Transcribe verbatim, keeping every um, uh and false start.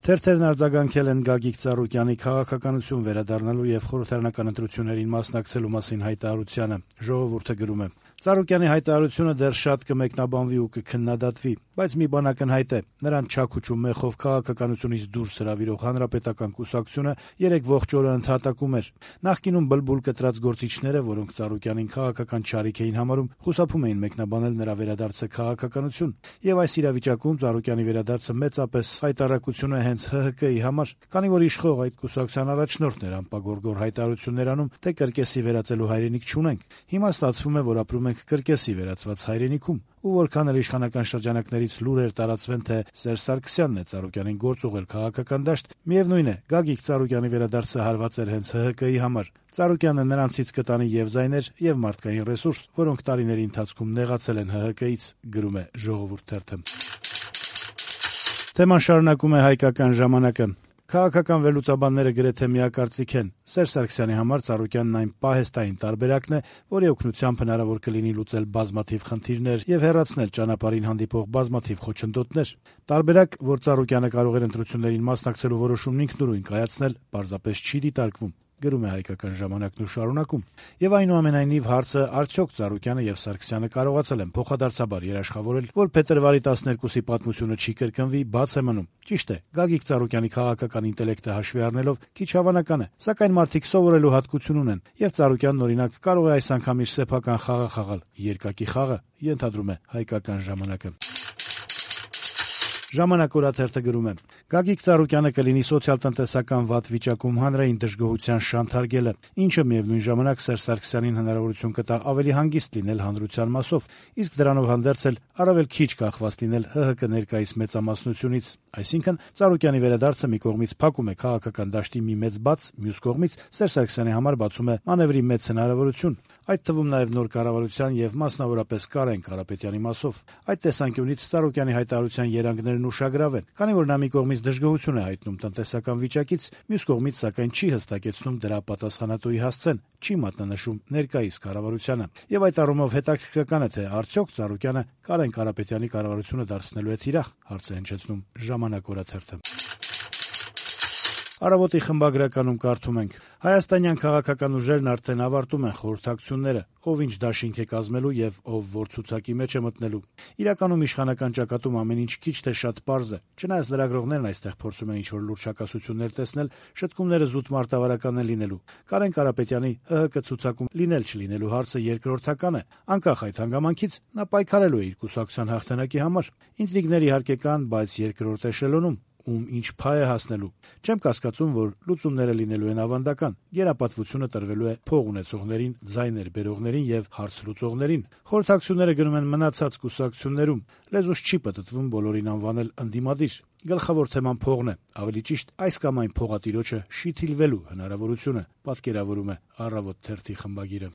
Թերթերն արձագանքել են Գագիկ Ծառուկյանի քաղաքականություն վերադառնալու եւ խորհրդարանական ընտրություններին մասնակցելու մասին հայտարարությանը։ Ժողովուրդը գրում է. Ծառուկյանի հայտարարությունը դեռ շատ կմեկնաբանվի ու կքննադատվի, բայց մի բան ակնհայտ է. նրան չաքուչ ու մեխով քաղաքականությունից դուրս հրավիրող հանրապետական կուսակցությունը երեք ողջ օրը ընդհատակում էր։ Նախկինում բլբուլ կտրած գործիչները, որոնք Ծառուկյանին քաղաքական չարիք էին համարում, խուսափում էին մեկնաբանել նրա վերադարձը քաղաքականություն, եւ այս իրավիճակում Ծառուկյանի վերադարձը մեծապես հայտարարություն է հենց ՀՀԿ-ի համար, քանի որ իշխող այդ կուսակցության առաջնորդն էր անպագորգոր հայտարարություններ անում, թե կրկեսի վերածելու հայրենիք չունենք։ Հիմա ստացվում է, որ ապրում ենք կրկեսի վերածված հայրենիքում, ու որքան էլ իշխանական շրջանակներից լուրեր տարածվեն, թե Սերժ Սարգսյանն է Ծառուկյանին գործ ուղղել քաղաքական դաշտ, միևնույն է, Գագիկ Ծառուկյանի վերադարձը հարված էր հենց ՀՀԿ-ի համար։ Ծառուկյանը նրանցից կտանի եւ զայներ, եւ մարդկային ռեսուրս, որոնք տարիների ընթացքում նեղացել են ՀՀԿ-ից, գրում է Ժողովուրդ թերթը։ Թեման շարունակում է Հայկական ժամանակը։ Քաղաքական վերլուծաբանները գրեթե միակարծիք են. Սերժ Սարգսյանի համար Ծառուկյանն այն պահեստային տարբերակն է, որի օգնությամբ հնարավոր կլինի լուծել բազմաթիվ խնդիրներ եւ հեռացնել ճանապարհին հանդիպող բազմաթիվ խոչընդոտներ։ Տարբերակ, որ Ծառուկյանը կարող էր ընտրություններին մասնակցելու որոշումն ինքնուրույն կայացնել, պարզապես չի դիտարկվում, գրում է Հայկական ժամանակն ու շարունակում։ Եվ այնուամենայնիվ հարցը արդյոք Ծառուկյանը եւ Սարգսյանը կարողացել են փոխադարձաբար երաշխավորել, որ փետրվարի տասներկուսի պատմությունը չի կրկնվի, բաց է մնում։ Ճիշտ է, Գագիկ Ծառուկյանի քաղաքական ինտելեկտը հաշվի առնելով քիչ հավանական է, սակայն մարդիկ սովորելու հատկություն ունեն, եւ Ծառուկյանն օրինակ կարող է այս անգամ իր սեփական խաղը խաղալ, երկակի խաղը, ենթադրում է Հայկական ժամանակը։ Ժամանակ օրաթերթը գրում է. Գագիկ Ծառուկյանը կլինի սոցիալ-տնտեսական վատ վիճակում հանրային դժգոհության շանթարգելը, ինչը միևնույն ժամանակ Սերժ Սարգսյանին հնարավորություն կտա ավելի հանգիստ լինել հանրության մասով, իսկ դրանով հանդերձ էլ առավել քիչ կախված լինել ՀՀԿ ներկայիս մեծամասնությունից։ Այսինքն Ծառուկյանի վերադարձը մի կողմից փակում է քաղաքական դաշտի մի մեծ բաց, մյուս կողմից Սերժ Սարգսյանի համար բացում է մանևրի մեծ հնարավորություն, այդ թվում նաև նոր կառավարության եւ մասնավորապես Կարեն Կարապետյանի մասով։ Այդ տեսանկյունից Ծառուկյանի հայտարարության երանգներն ուշագրավ են, քանի որ նա մի կողմից դժգոհություն է հայտնում տնտեսական վիճակից, մյուս կողմից սակայն չի հստակեցնում դրա պատասխանատուի հասցեն, չի մատնանշում ներկայիս կառավարությանը։ Եվ այդ առումով հետաքրքրական է, թե արդյոք Ծառուկյանը Կարեն Կարապետյանի կառավարությունը դարձնելու է թիրախ, հարց է հնչեցնում Ժամանակ օրաթերթը։ Առավոտի խմբագրականում կարդում ենք. Հայաստանյան քաղաքական ուժերն արդեն ավարտում են խորհրդակցությունները, ով ինչ դաշինք է կազմելու եւ ով որ ցուցակի մեջ է մտնելու։ Իրականում իշխանական ճակատում ամեն ինչ քիչ թե շատ պարզ է։ Չնայած լրագրողներն այստեղ փորձում են ինչ-որ լուրջ հակասություններ տեսնել, շտկումները զուտ մարտավարական են լինելու։ Կարեն Կարապետյանի ՀՀԿ ցուցակում լինել-չլինելու հարցը երկրորդական է։ Անկախ այդ հանգամանքից նա պայքարելու է իր կուսակցության հաղթանակի համար։ Ինտրիգներ իհարկե կան, բայց երկրորդ էշելոնում ում ինչ փայ է հասնելու։ Չեմ կասկածում, որ լուծումները լինելու են ավանդական։ Գերապատվությունը տրվելու է փող ունեցողներին, ձայներ բերողներին եւ հարց լուծողներին։ Խորհրդակցությունները գնում են մնացած կուսակցություններում։ Լեզուս չի պատտվում բոլորին անվանել ընդդիմադիր։ Գլխավոր թեման փողն է, ավելի ճիշտ այս կամ այն փողատիրոջը շիթիլվելու հնարավորությունը, պատկերավորում է Առավոտ թերթի խմբագիրը։